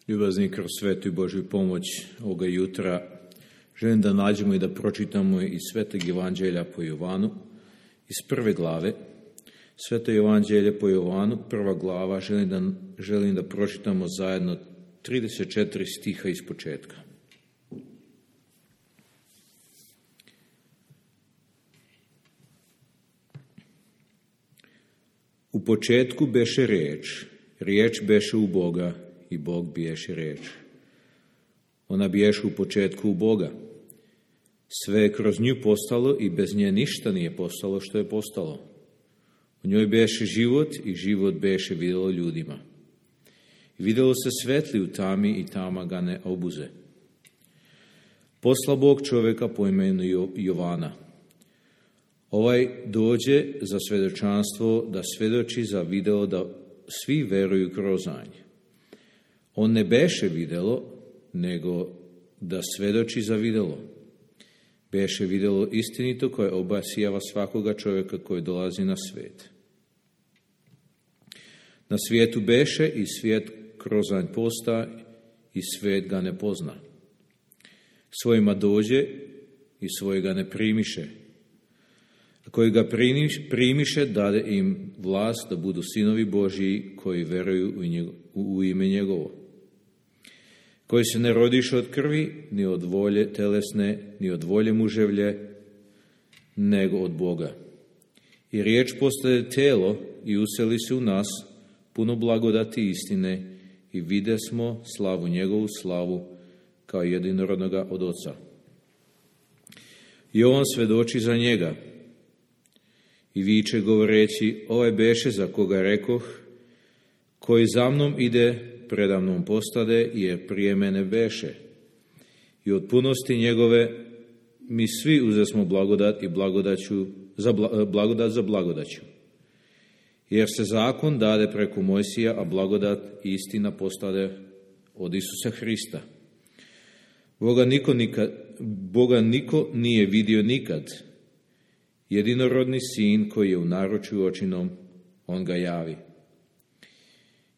Ljubazni, kroz svetu i Božju pomoć ovoga jutra želim da nađemo i da pročitamo iz Svetog Evanđelja po Jovanu, iz 1. glave. Sveto Evanđelje po Jovanu, 1. glava, želim da pročitamo zajedno 34 stiha iz početka. U početku beše riječ, riječ beše u Boga i Bog biješe riječ. Ona biješe u početku u Boga. Sve je kroz nju postalo i bez nje ništa nije postalo što je postalo. U njoj beše život i život beše vidjelo ljudima. I vidjelo se svetli u tami i tama ga ne obuze. Posla Bog čovjeka po imenu Jovana. Ovaj dođe za svjedočanstvo da svjedoči za video da svi veruju kroz njega. On ne beše vidjelo, nego da svjedoči za vidjelo. Beše vidjelo istinito koje obasijava svakoga čovjeka koji dolazi na svijet. Na svijetu beše i svijet kroz nj posta i svijet ga ne pozna. Svojima dođe i svojega ne primiše. A koji ga primiše, dade im vlast da budu sinovi Božji koji veruju u ime njegovo. Koji se ne rodiše od krvi, ni od volje telesne, ni od volje muževlje, nego od Boga. I riječ postaje telo i useli se u nas, puno blagodati istine, i vide smo slavu njegovu slavu, kao jedinorodnoga od Oca. I on svedoči za njega i viče govoreći, ovaj beše za koga rekoh, koji za mnom ide, predamnom postade, jer prije mene beše. I od punosti njegove mi svi uzesmo blagodat i blagodat za blagodaću. Jer se zakon dade preko Mojsija, a blagodat i istina postade od Isusa Hrista. Boga niko nije vidio nikad. Jedinorodni sin koji je u naručju očinom, on ga javi.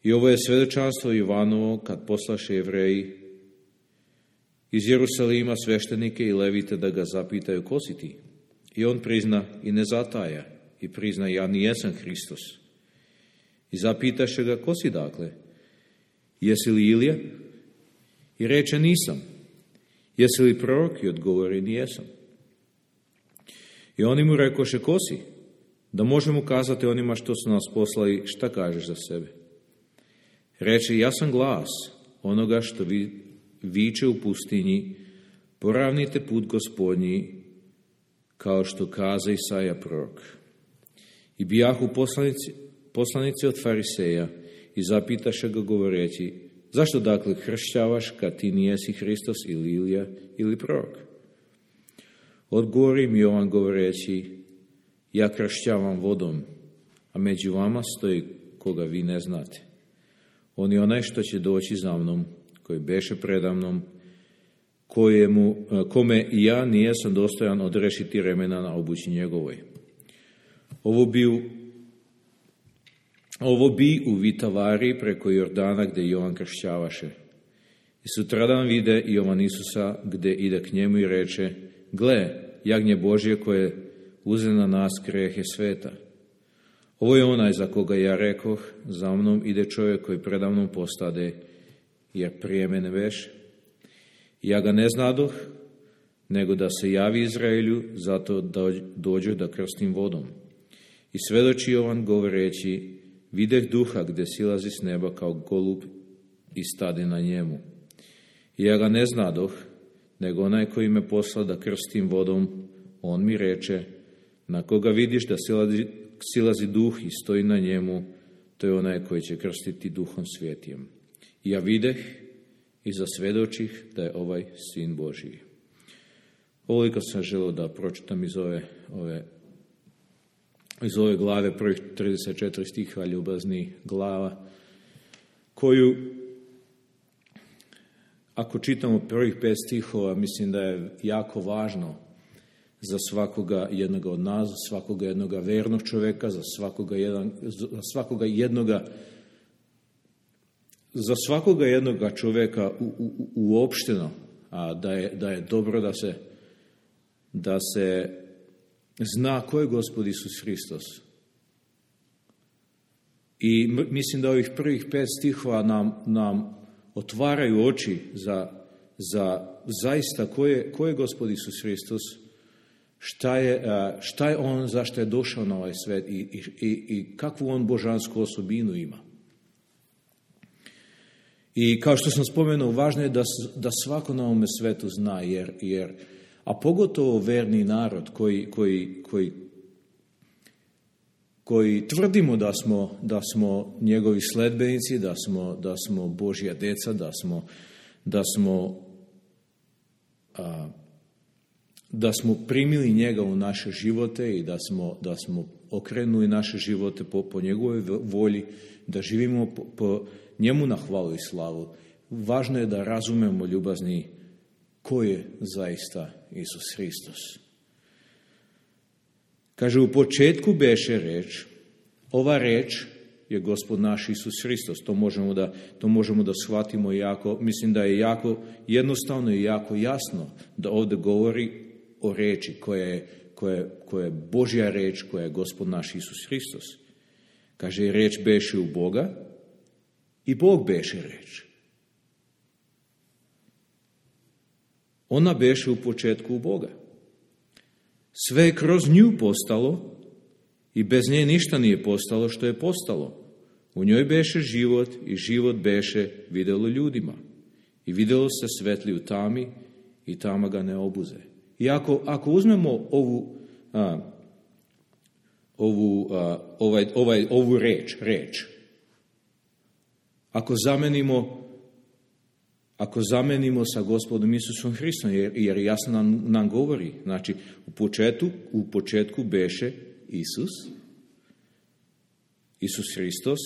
I ovo je svjedočanstvo Jovanovo kad poslaše Jevreji iz Jerusalima sveštenike i levite da ga zapitaju ko si ti. I on prizna i ne zataja i prizna ja nijesam Hristos. I zapitaše ga ko si dakle? Jesi li Ilija? I reče nisam. Jesi li prorok? I odgovori nijesam. I oni mu rekoše ko si? Da možemo kazati onima što su nas poslali šta kažeš za sebe. Reče, ja sam glas onoga što viče u pustinji, poravnite put Gospodnji, kao što kaza Isaja prorok. I bijahu poslanici od Fariseja i zapitaše ga govoreći, zašto dakle kršćavaš kad ti nijesi Hristos ili Ilija ili prorok? Odgovori im Jovan govoreći, ja kršćavam vodom, a među vama stoji koga vi ne znate. On je onaj što će doći za mnom, koji beše predamnom, kome i ja nijesam dostojan odrešiti remena na obući njegovoj. Ovo bi u Vitavari preko Jordana gdje Jovan kršćavaše. I sutradan vide Jovan Isusa gdje ide k njemu i reče, gle, jagnje Božje koje uze na nas grehe sveta. Ovo je onaj za koga ja rekoh, za mnom ide čovjek koji predamnom postade, jer prije mene beše. Ja ga ne znadoh, nego da se javi Izraelju, zato da dođu da krstim vodom. I svedoči Jovan govoreći, videh duha gdje silazi s neba kao golub i stade na njemu. I ja ga ne znadoh, nego onaj koji me posla da krstim vodom, on mi reče, na koga vidiš da silazi duh i stoji na njemu, to je onaj koji će krstiti duhom svetijem. I ja videh i zasvjedočih da je ovaj sin Božiji. Ovoliko sam želio da pročitam iz ove glave, prvih 34 stiha ljubazni glava, koju, ako čitamo prvih 5 stihova, mislim da je jako važno za svakoga jednoga od nas, za svakoga jednoga vernog čovjeka, za svakoga jednoga za svakoga jednoga čovjeka uopšteno, da je dobro da se zna ko je Gospod Isus Hristos. I mislim da ovih prvih 5 stihova nam otvaraju oči za zaista ko je Gospod Isus Hristos, šta je on, zašto je došao na ovaj svet i kakvu on božansku osobinu ima. I kao što sam spomenuo, važno je da svako na ovome svetu zna, a pogotovo verni narod koji tvrdimo da smo njegovi sledbenici, da smo Božja deca, da smo primili njega u naše živote i da smo okrenuli naše živote po njegovoj volji, da živimo po njemu na hvalu i slavu. Važno je da razumemo, ljubazni, ko je zaista Isus Hristos. Kaže, u početku beše reč, ova reč je Gospod naš Isus Hristos. To možemo da shvatimo mislim da je jako jednostavno i jako jasno da ovdje govori o reči koja je Božja reč, koja je Gospod naš Isus Hristos. Kaže, reč beše u Boga i Bog beše reč. Ona beše u početku u Boga. Sve je kroz nju postalo i bez nje ništa nije postalo što je postalo. U njoj beše život i život beše vidjelo ljudima. I vidjelo se svetli u tami i tama ga ne obuze. I ako uzmemo ovu reč, ako zamenimo sa Gospodom Isusom Hristom, jer jasno nam govori, znači u početku beše Isus Hristos,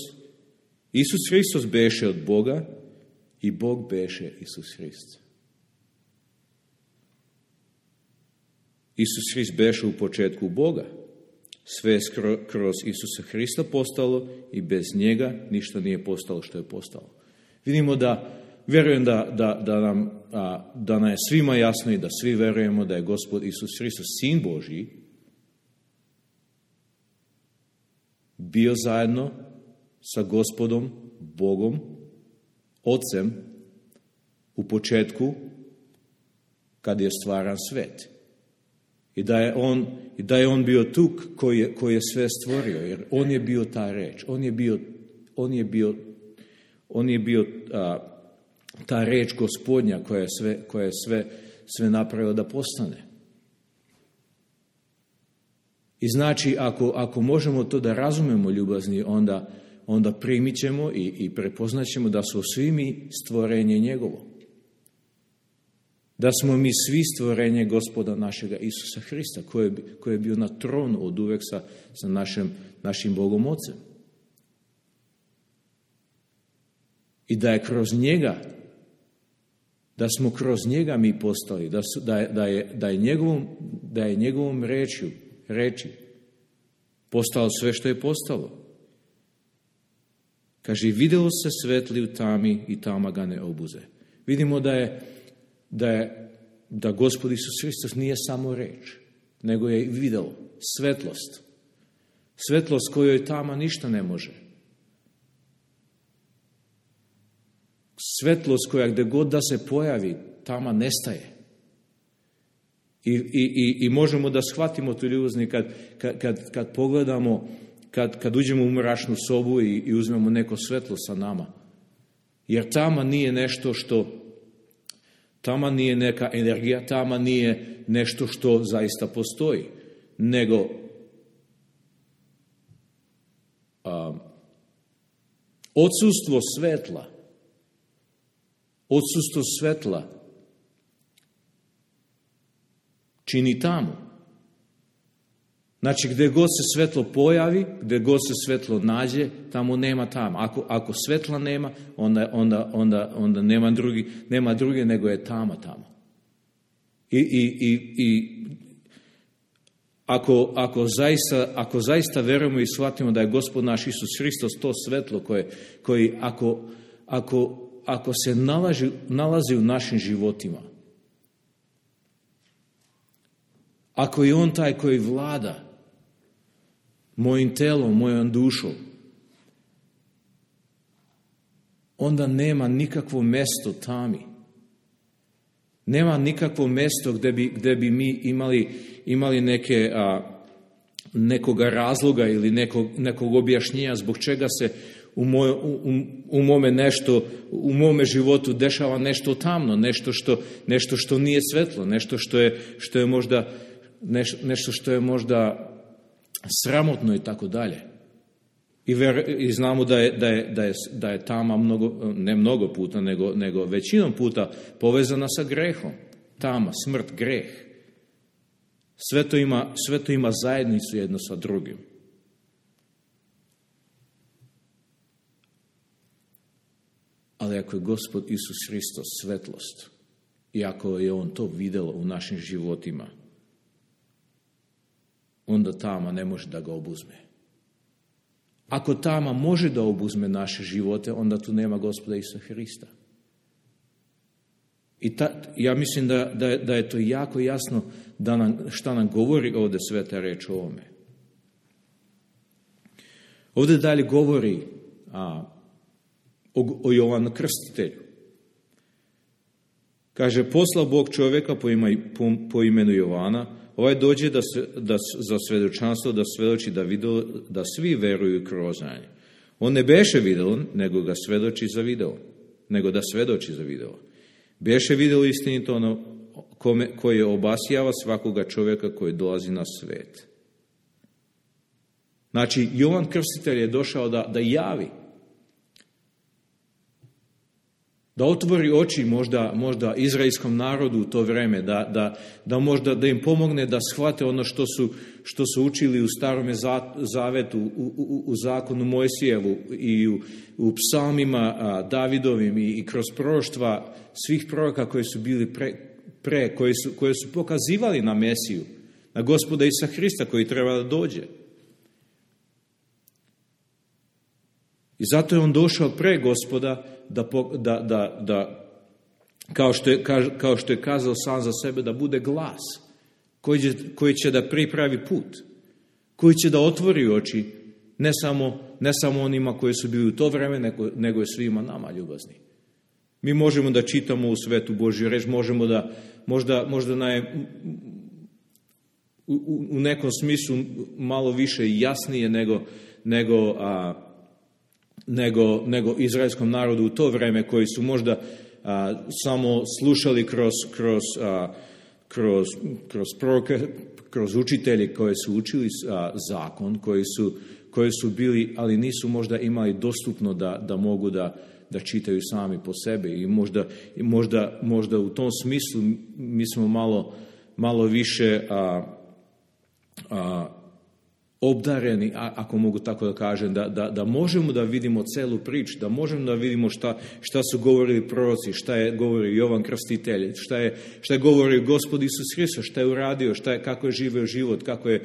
Isus Hristos beše od Boga i Bog beše Isus Hrist. Isus Hrist beše u početku Boga, sve je kroz Isusa Hrista postalo i bez njega ništa nije postalo što je postalo. Vidimo vjerujem da nam je svima jasno i da svi vjerujemo da je Gospod Isus Hristos, Sin Božji, bio zajedno sa Gospodom, Bogom, Otcem u početku kad je stvaran svet. I da je on bio tu koji je sve stvorio, jer on je bio ta reč, on je bio ta reč Gospodnja koja je sve napravila da postane. I znači, ako možemo to da razumemo, ljubazni, onda primit ćemo i prepoznat ćemo da smo svi mi stvorenje njegovo. Da smo mi svi stvorenje Gospoda našega Isusa Hrista, koji je bio na tronu od uvek sa našim Bogom Otcem. I da je kroz njega, da smo kroz njega mi postali, da je njegovom reči postalo sve što je postalo. Kaže, vidjelo se svetli u tami i tama ga ne obuze. Vidimo da Gospod Isus Hristos nije samo reč, nego je vidjelo svetlost. Svetlost kojoj tama ništa ne može. Svetlost koja gdje god da se pojavi, tama nestaje. I možemo da shvatimo tu ljubazni kad pogledamo, kad uđemo u mračnu sobu i uzmemo neko svetlo sa nama. Jer tama nije nešto tama nije neka energija, tama nije nešto što zaista postoji, nego odsustvo svetla čini tamu. Znači, gdje god se svetlo pojavi, gdje god se svetlo nađe, tamo nema tama. Ako svetla nema, onda nema druge nego je tama tamo. I ako zaista verujemo i shvatimo da je Gospod naš Isus Hristos to svetlo koji ako se nalazi u našim životima, ako je on taj koji vlada mojim telom, mojom dušom, onda nema nikakvo mjesto tami. Nema nikakvo mjesto gdje bi mi imali nekoga razloga ili nekog objašnjenja zbog čega se u mome životu dešava nešto tamno, nešto što nije svetlo, nešto što je možda nešto što je možda sramotno i tako dalje. I znamo da je tama ne mnogo puta, nego većinom puta povezana sa grehom. Tama, smrt, greh. Sve to ima zajednicu jedno sa drugim. Ali ako je Gospod Isus Hristos svetlost i ako je on to vidjelo u našim životima, onda tama ne može da ga obuzme. Ako tama može da obuzme naše živote, onda tu nema Gospoda Isusa Hrista. I ja mislim da je to jako jasno šta nam govori ovdje sveta reč o ovome. Ovdje dalje govori o Jovanu Krstitelju. Kaže, poslao Bog čovjeka po imenu Jovana, ovaj dođe za svjedočanstvo, da svjedoči da svi veruju kroz znanje. On ne beše video, nego da svjedoči za video. Beše video istinito ono koje obasjava svakoga čovjeka koji dolazi na svet. Znači, Jovan Krstitelj je došao da javi, da otvori oči možda izraelskom narodu u to vrijeme, da možda da im pomogne da shvate ono što su učili u Starome zavetu, u zakonu Mojsijevu i u psalmima Davidovim i kroz proroštva svih proroka koji su bili koji su pokazivali na Mesiju, na Gospoda Isusa Hrista koji treba da dođe. I zato je on došao pre Gospoda da kao što je kazao sam za sebe, da bude glas koji će da pripravi put, koji će da otvori oči ne samo onima koji su bili u to vreme, nego je svima nama ljubazni. Mi možemo da čitamo u svetu Božju reč, možemo da možda u nekom smislu malo više jasnije nego izraelskom narodu u to vrijeme, koji su možda samo slušali kroz proroke, kroz učitelje koji su učili zakon, koji su bili, ali nisu možda imali dostupno da mogu da čitaju sami po sebi. I možda u tom smislu mi smo malo više obdareni, ako mogu tako da kažem, da možemo da vidimo celu priču, da možemo da vidimo šta su govorili proroci, šta je govorio Jovan Krstitelj, šta je govorio Gospod Isus Hristos, šta je uradio, kako je živeo život, kako je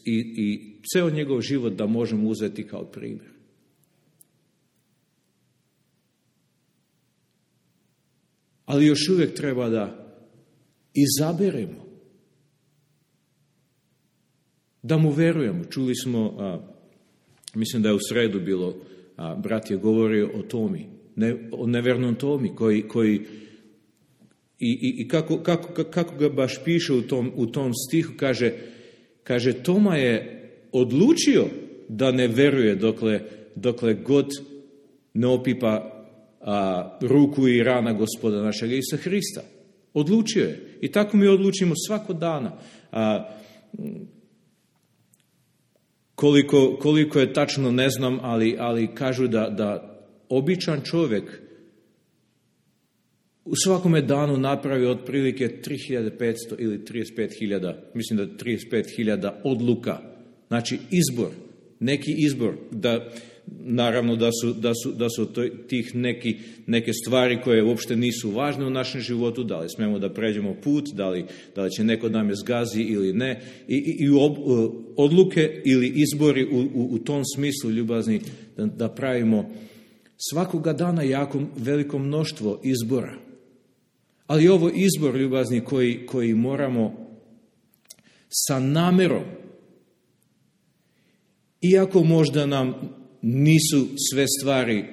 i ceo njegov život da možemo uzeti kao primjer. Ali još uvijek treba da izaberemo, da mu verujemo. Čuli smo, mislim da je u sredu bilo, brat je govorio o Tomi, o nevernom Tomi, koji i kako ga baš piše u tom stihu, kaže Toma je odlučio da ne veruje dokle god ne opipa ruku i rana Gospoda našeg Isusa Hrista. Odlučio je. I tako mi odlučimo svako dana. Koliko je tačno ne znam, ali kažu da običan čovjek u svakome danu napravi otprilike 3500 ili 35.000, mislim da 35.000 odluka. Znači neki izbor, naravno da su tih neke stvari koje uopšte nisu važne u našem životu, da li smemo da pređemo put, da li će neko da me zgazi ili ne, i odluke ili izbori u tom smislu ljubazni da pravimo Svakoga dana jako veliko mnoštvo izbora. Ali ovo izbor, ljubazni, koji moramo sa namerom, iako možda nam nisu sve stvari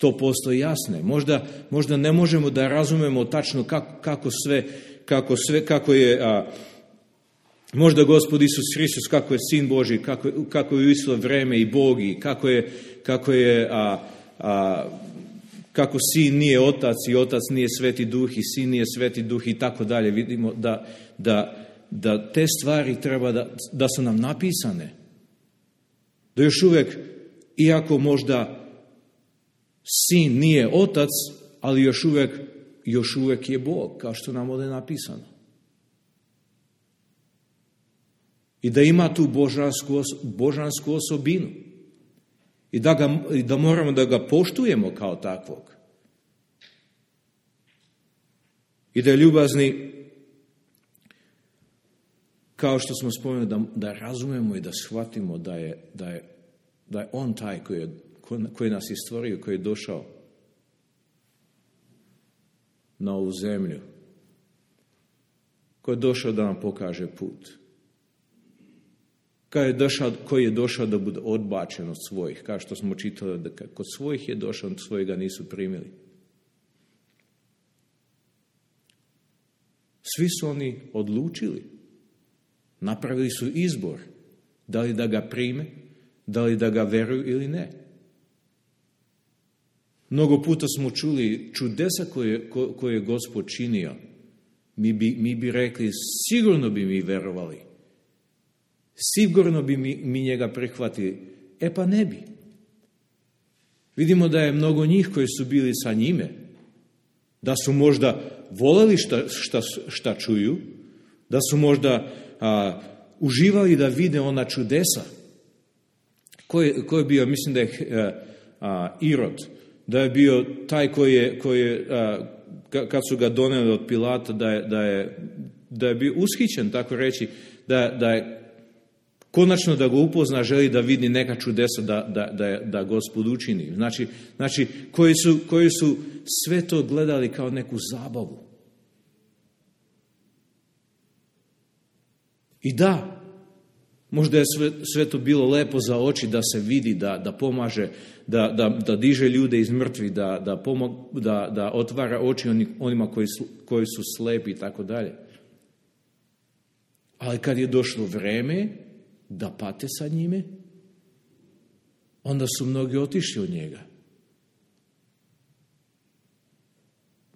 100% jasne, možda ne možemo da razumemo tačno kako je možda Gospod Isus Hristos, kako je Sin Božji, kako je u isto vreme i Bog, i kako Sin nije Otac i Otac nije Sveti Duh i Sin nije Sveti Duh i tako dalje. Vidimo da te stvari treba da su nam napisane. Da još uvijek, iako možda Sin nije Otac, ali još uvijek je Bog, kao što nam ovdje napisano. I da ima tu božansku osobinu. I da moramo da ga poštujemo kao takvog. I da je ljubazni, kao što smo spomenuli, da razumemo i da shvatimo da je on taj koji nas je stvorio, koji je došao na ovu zemlju, koji je došao da nam pokaže put, koji je došao da bude odbačen od svojih, kao što smo čitali, da kod svojih je došao, od svojega nisu primili. Svi su oni odlučili, napravili su izbor, da li da ga prime, da li da ga veruju ili ne. Mnogo puta smo čuli čudesa koje je Gospod činio. Mi bi rekli, sigurno bi mi verovali. Sigurno bi mi njega prihvatili. Pa ne bi. Vidimo da je mnogo njih koji su bili sa njime, da su možda voleli šta čuju, da su možda uživali da vide ona čudesa. Ko je bio, mislim da je Irod, da je bio taj koji je kad su ga doneli od Pilata, da je bio ushićen, tako reći, da je konačno da ga upozna, želi da vidi neka čudesa da Gospod učini. Znači koji su sve to gledali kao neku zabavu. I da, možda je sve to bilo lepo za oči, da se vidi, da pomaže, da diže ljude iz mrtvih, da otvara oči onima koji su slepi i tako dalje. Ali kad je došlo vreme da pate sa njime, onda su mnogi otišli od njega.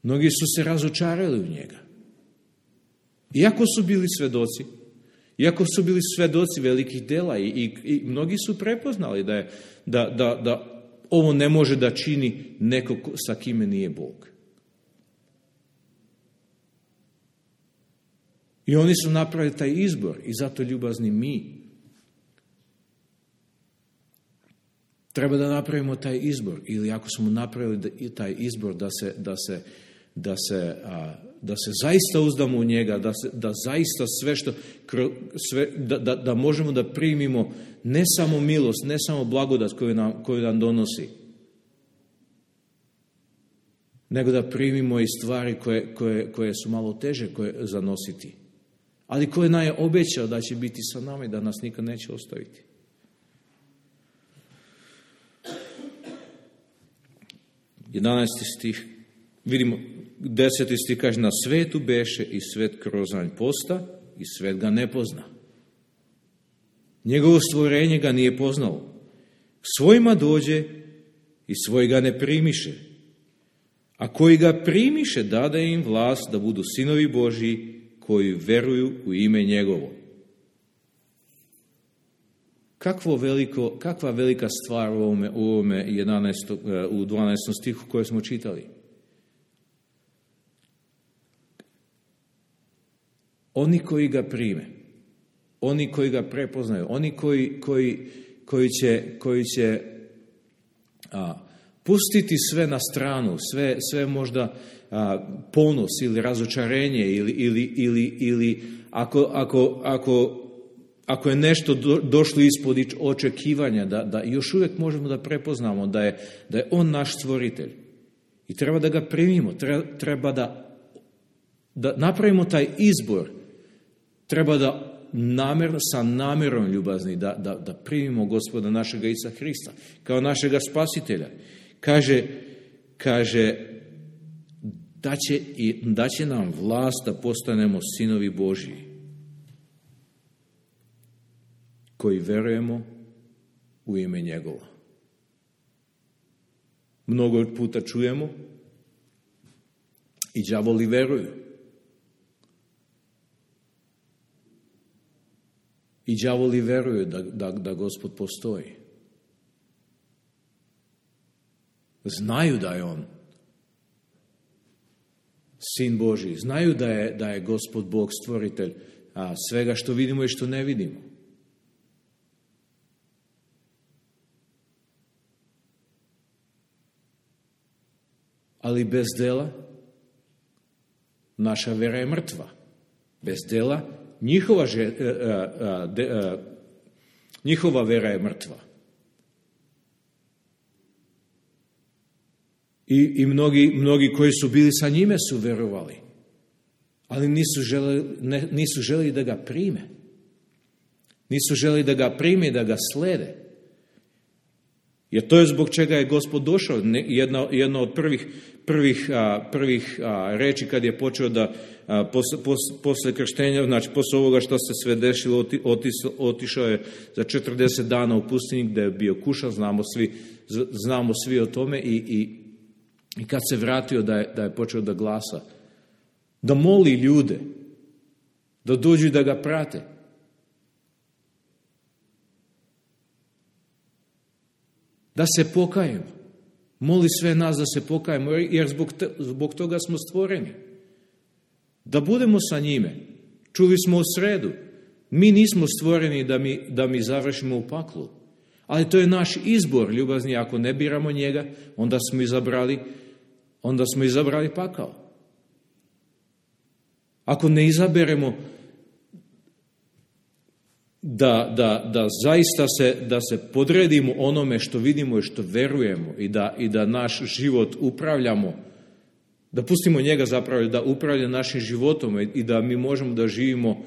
Mnogi su se razočarali u njega. Iako su bili svedoci velikih dela i mnogi su prepoznali da ovo ne može da čini neko sa kime nije Bog. I oni su napravili taj izbor i zato, ljubazni, mi treba da napravimo taj izbor, ili ako smo napravili taj izbor da se zaista uzdamo u njega, da zaista da možemo da primimo ne samo milost, ne samo blagodat koju nam donosi, nego da primimo i stvari koje su malo teže zanositi, ali koje nam je obećao da će biti sa nama i da nas nikad neće ostaviti. Jedanaesti stih, vidimo, 10. stih kaže, na svetu beše i svet krozanj posta i svet ga ne pozna. Njegovo stvorenje ga nije poznalo. K svojima dođe i svoj ga ne primiše. A koji ga primiše, dade im vlast da budu sinovi Božji, koji veruju u ime njegovo. Kakva velika stvar u ovome 12. stihu koje smo čitali. Oni koji ga prime, oni koji ga prepoznaju, oni koji će pustiti sve na stranu, sve možda ponos ili razočarenje ili ako ako je nešto došlo ispod očekivanja, da još uvijek možemo da prepoznamo da je on naš stvoritelj. I treba da ga primimo, treba da napravimo taj izbor, treba da sa namjerom ljubazni, da primimo Gospoda našega Isusa Hrista kao našega spasitelja. Kaže da će nam vlast da postanemo sinovi Božji, koji verujemo u ime njegova. Mnogo puta čujemo i đavoli veruju. I đavoli veruju da Gospod postoji. Znaju da je on Sin Božji. Znaju da je Gospod Bog stvoritelj svega što vidimo i što ne vidimo. Ali bez dela naša vera je mrtva. Bez dela njihova vera je mrtva. I mnogi koji su bili sa njime su verovali, ali nisu želeli da ga prime. Nisu želeli da ga prime i da ga slede. Jer to je zbog čega je Gospod došao. Jedna od prvih reči kad je počeo da posle krštenja, znači posle ovoga što se sve dešilo, otišao je za 40 dana u pustinji gde je bio kušan, znamo svi o tome i kad se vratio da je počeo da glasa, da moli ljude, da dođu i da ga prate. Da se pokajemo. Moli sve nas da se pokajemo, jer zbog toga smo stvoreni. Da budemo sa njime. Čuli smo u sredu. Mi nismo stvoreni da mi završimo u paklu. Ali to je naš izbor, ljubazni. Ako ne biramo njega, onda smo izabrali pakao. Ako ne izaberemo da zaista da se podredimo onome što vidimo i što verujemo i da naš život upravljamo, da pustimo njega zapravo da upravlja našim životom i da mi možemo da živimo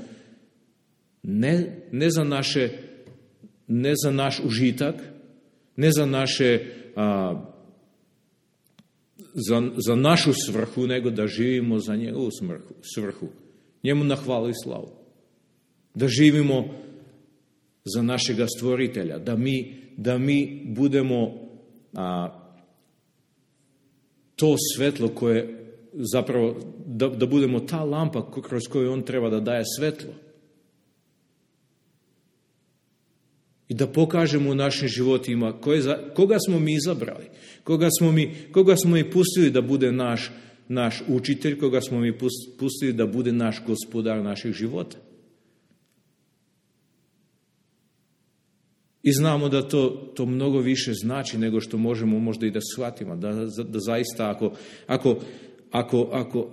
ne za naš užitak, ne za naše za našu svrhu, nego da živimo za njegovu svrhu. Njemu na hvalu i slavu. Da živimo za našega stvoritelja, da mi budemo to svetlo koje zapravo, da budemo ta lampa kroz koju on treba da daje svetlo. I da pokažemo u našim životima koga smo mi izabrali, koga smo mi pustili da bude naš učitelj, koga smo mi pustili da bude naš gospodar naših života. I znamo da to mnogo više znači nego što možemo možda i da shvatimo. Da zaista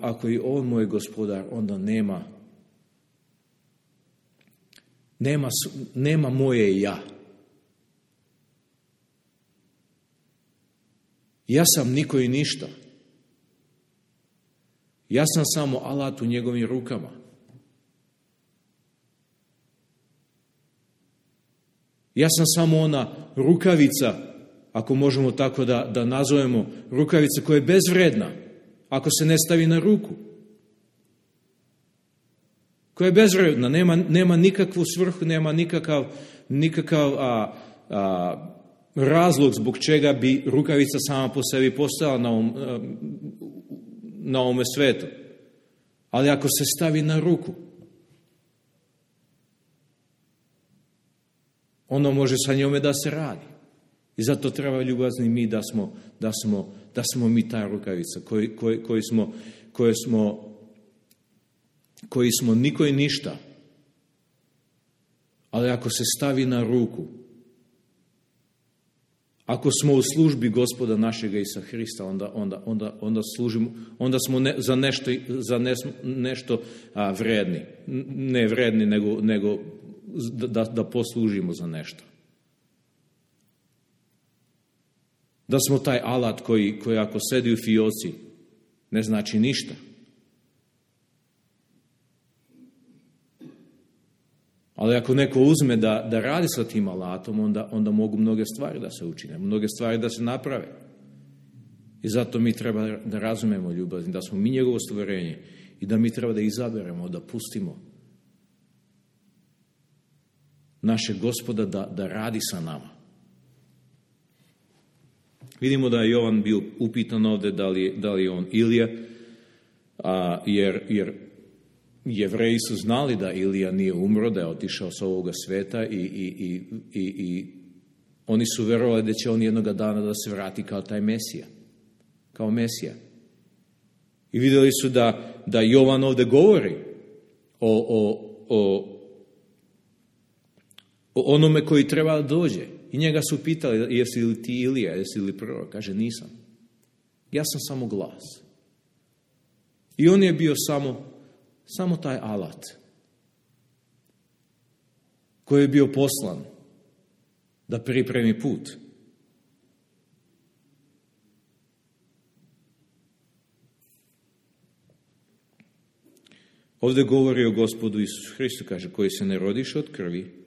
ako je on moj gospodar, onda nema moje ja. Ja sam niko i ništa. Ja sam samo alat u njegovim rukama. Ja sam samo ona rukavica, ako možemo tako da nazovemo, rukavica koja je bezvredna, ako se ne stavi na ruku. Koja je bezvredna, nema nikakvu svrhu, nema nikakav razlog zbog čega bi rukavica sama po sebi postala na ovome svetu. Ali ako se stavi na ruku, ono može sa njome da se radi. I zato treba ljubazni mi da smo mi ta rukavica koji smo niko i ništa. Ali ako se stavi na ruku, ako smo u službi Gospoda našega Isusa Hrista, onda služimo, onda smo za nešto vredni. Ne vredni, nego da poslužimo za nešto. Da smo taj alat koji ako sedi u fioci ne znači ništa. Ali ako neko uzme da radi sa tim alatom, onda mogu mnoge stvari da se učine, mnoge stvari da se naprave. I zato mi treba da razumemo ljubazni, da smo mi njegovo stvorenje i da mi treba da izaberemo, da pustimo našeg Gospoda da radi sa nama. Vidimo da je Jovan bio upitan ovdje da li je on Ilija, jer Jevreji su znali da Ilija nije umro, da je otišao s ovoga sveta i oni su verovali da će on jednoga dana da se vrati kao taj Mesija, kao Mesija. I vidjeli su da Jovan ovdje govori o onome koji treba da dođe. I njega su pitali, jesi li ti Ilija, jesi li prorok? Kaže, nisam. Ja sam samo glas. I on je bio samo taj alat koji je bio poslan da pripremi put. Ovdje govori o Gospodu Isusu Hristu, kaže, koji se ne rodiš od krvi,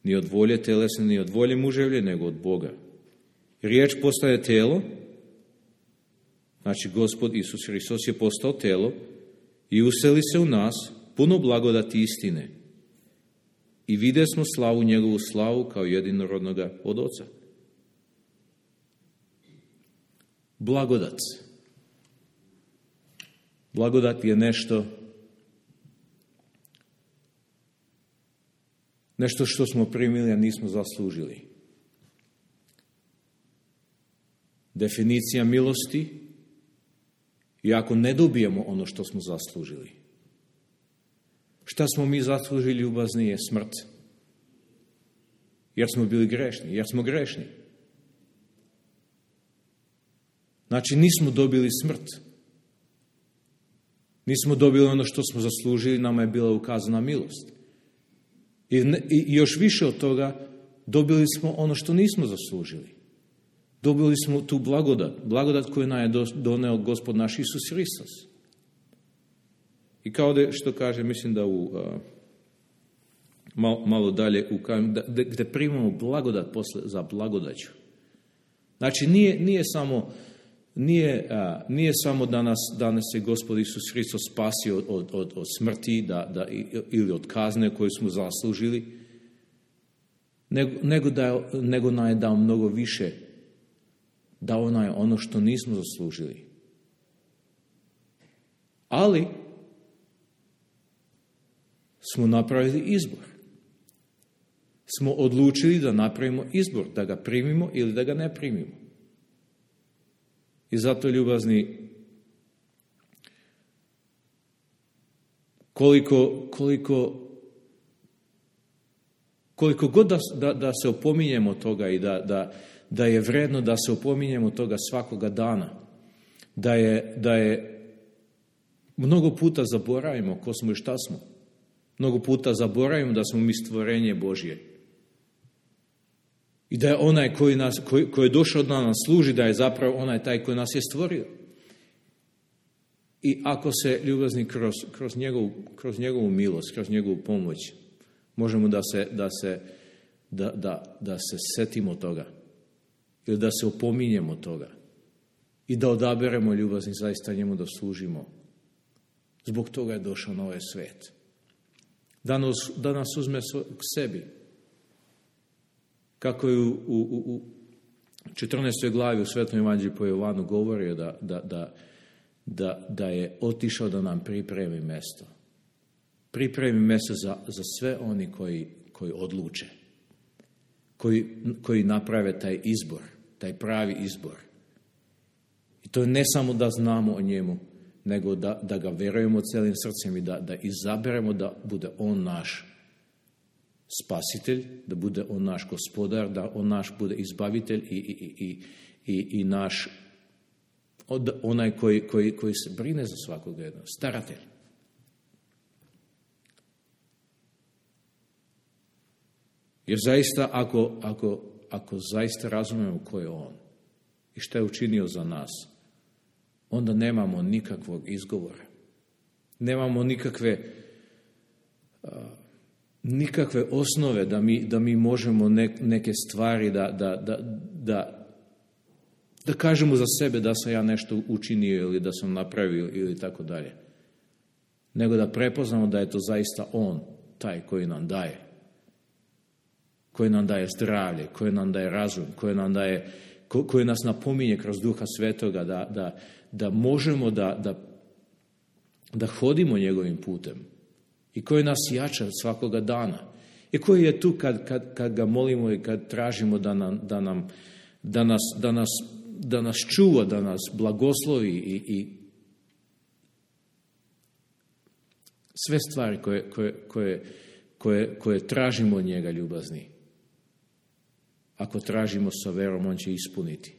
ni od volje telesne, ni od volje muževlje, nego od Boga. Riječ postaje telo, znači Gospod Isus Hristos je postao telo i useli se u nas puno blagodati istine. I vide smo slavu, njegovu slavu kao jedinorodnoga od Oca. Blagodat. Blagodat je nešto što smo primili, a nismo zaslužili. Definicija milosti je ako ne dobijemo ono što smo zaslužili. Šta smo mi zaslužili, ljubazni, je smrt. Jer smo bili grešni, jer smo grešni. Znači nismo dobili smrt. Nismo dobili ono što smo zaslužili, nama je bila ukazana milost. I još više od toga, dobili smo ono što nismo zaslužili. Dobili smo tu blagodat koju nam je doneo Gospod naš Isus Hristos. I kao što kaže, mislim da malo dalje, gdje primamo blagodat za blagodaću. Znači nije samo da nas je Gospod Isus Hristos spasio od smrti ili od kazne koju smo zaslužili, nego nam je dao mnogo više. Dao nam je ono što nismo zaslužili. Ali smo napravili izbor. Smo odlučili da napravimo izbor, da ga primimo ili da ga ne primimo. I zato, ljubazni, koliko god da se opominjemo toga i da je vredno da se opominjemo toga svakoga dana, da je mnogo puta zaboravimo ko smo i šta smo. Mnogo puta zaboravimo da smo mi stvorenje Božje. I da je onaj koji je došao da nam služi, da je zapravo onaj taj koji nas je stvorio. I ako se, ljubazni, kroz njegovu milost, kroz njegovu pomoć, možemo da se setimo toga. Ili da se opominjemo toga. I da odaberemo, ljubazni, zaista njemu da služimo. Zbog toga je došao na ovaj svet. Da nas uzme k sebi. Kako je u 14. glavi u Svetom evanđelju po Jovanu govorio da je otišao da nam pripremi mjesto. Pripremi mjesto za sve oni koji odluče. Koji naprave taj izbor, taj pravi izbor. I to je ne samo da znamo o njemu, nego da ga vjerujemo cijelim srcem i da izaberemo da bude on naš spasitelj, da bude on naš gospodar, da on naš bude izbavitelj i naš onaj koji se brine za svakoga jednog, staratelj. Jer zaista, ako zaista razumemo ko je on i šta je učinio za nas, onda nemamo nikakvog izgovora. Nemamo nikakve osnove da mi možemo neke stvari da kažemo za sebe da sam ja nešto učinio ili da sam napravio ili tako dalje. Nego da prepoznamo da je to zaista on, taj koji nam daje. Koji nam daje zdravlje, koji nam daje razum, koji nas napominje kroz Duha Svetoga da možemo da hodimo njegovim putem i koji nas jača svakoga dana i koji je tu kad ga molimo i kad tražimo da nas čuva, da nas blagoslovi i sve stvari koje tražimo od njega, ljubazni. Ako tražimo sa verom, on će ispuniti.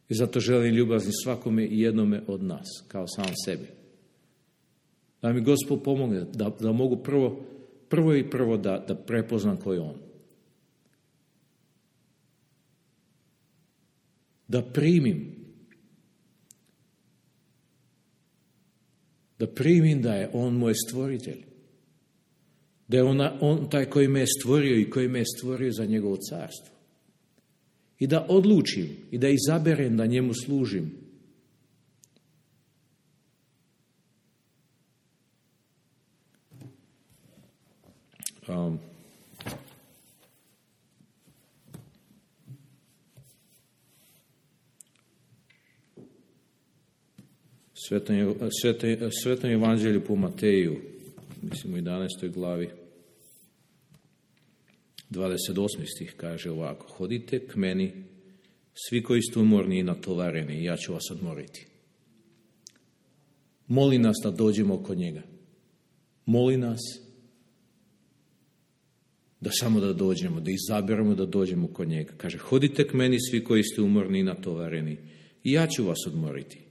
I zato želim, ljubazni, svakome i jednome od nas, kao sam sebi. Da mi Gospod pomogne, da mogu prvo da prepoznam ko je on. Da primim da je on moj stvoritelj. Da je on taj koji me je stvorio i koji me je stvorio za njegovo carstvo. I da odlučim i da izaberem da njemu služim. Svetom evanđelju po Mateju, mislim u 11. glavi, 28. stih kaže ovako: hodite k meni, svi koji ste umorni i natovareni, i ja ću vas odmoriti. Moli nas da dođemo kod njega. Moli nas da samo da dođemo, da izaberemo da dođemo kod njega. Kaže, hodite k meni, svi koji ste umorni i natovareni, i ja ću vas odmoriti.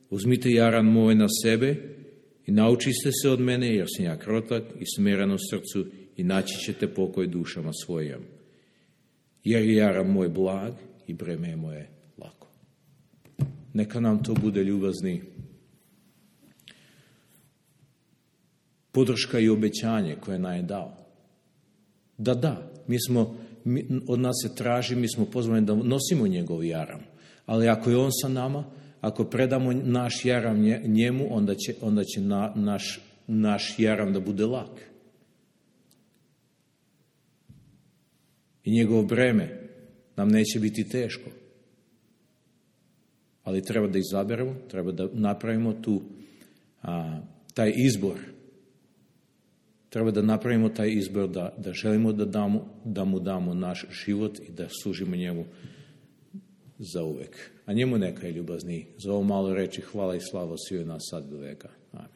Uzmite jaran moj na sebe i naučite se od mene, jer sam ja krotak i smiren u srcu, i naći ćete pokoj dušama svojim. Jer je jaran moj blag i breme moje lako. Neka nam to bude, ljubazni, podrška i obećanje koje nam je dao. Od nas se traži, mi smo pozvani da nosimo njegov jaram. Ali ako je on sa nama, ako predamo naš jaram njemu, onda će naš jaram da bude lak. I njegovo breme nam neće biti teško. Ali treba da izaberemo, treba da napravimo taj izbor. Treba da napravimo taj izbor da želimo da mu damo naš život i da služimo njemu zauvek. A njemu neka je, ljubazni, za ovo malo reči hvala i slava sviju nas sad do veka. Amen.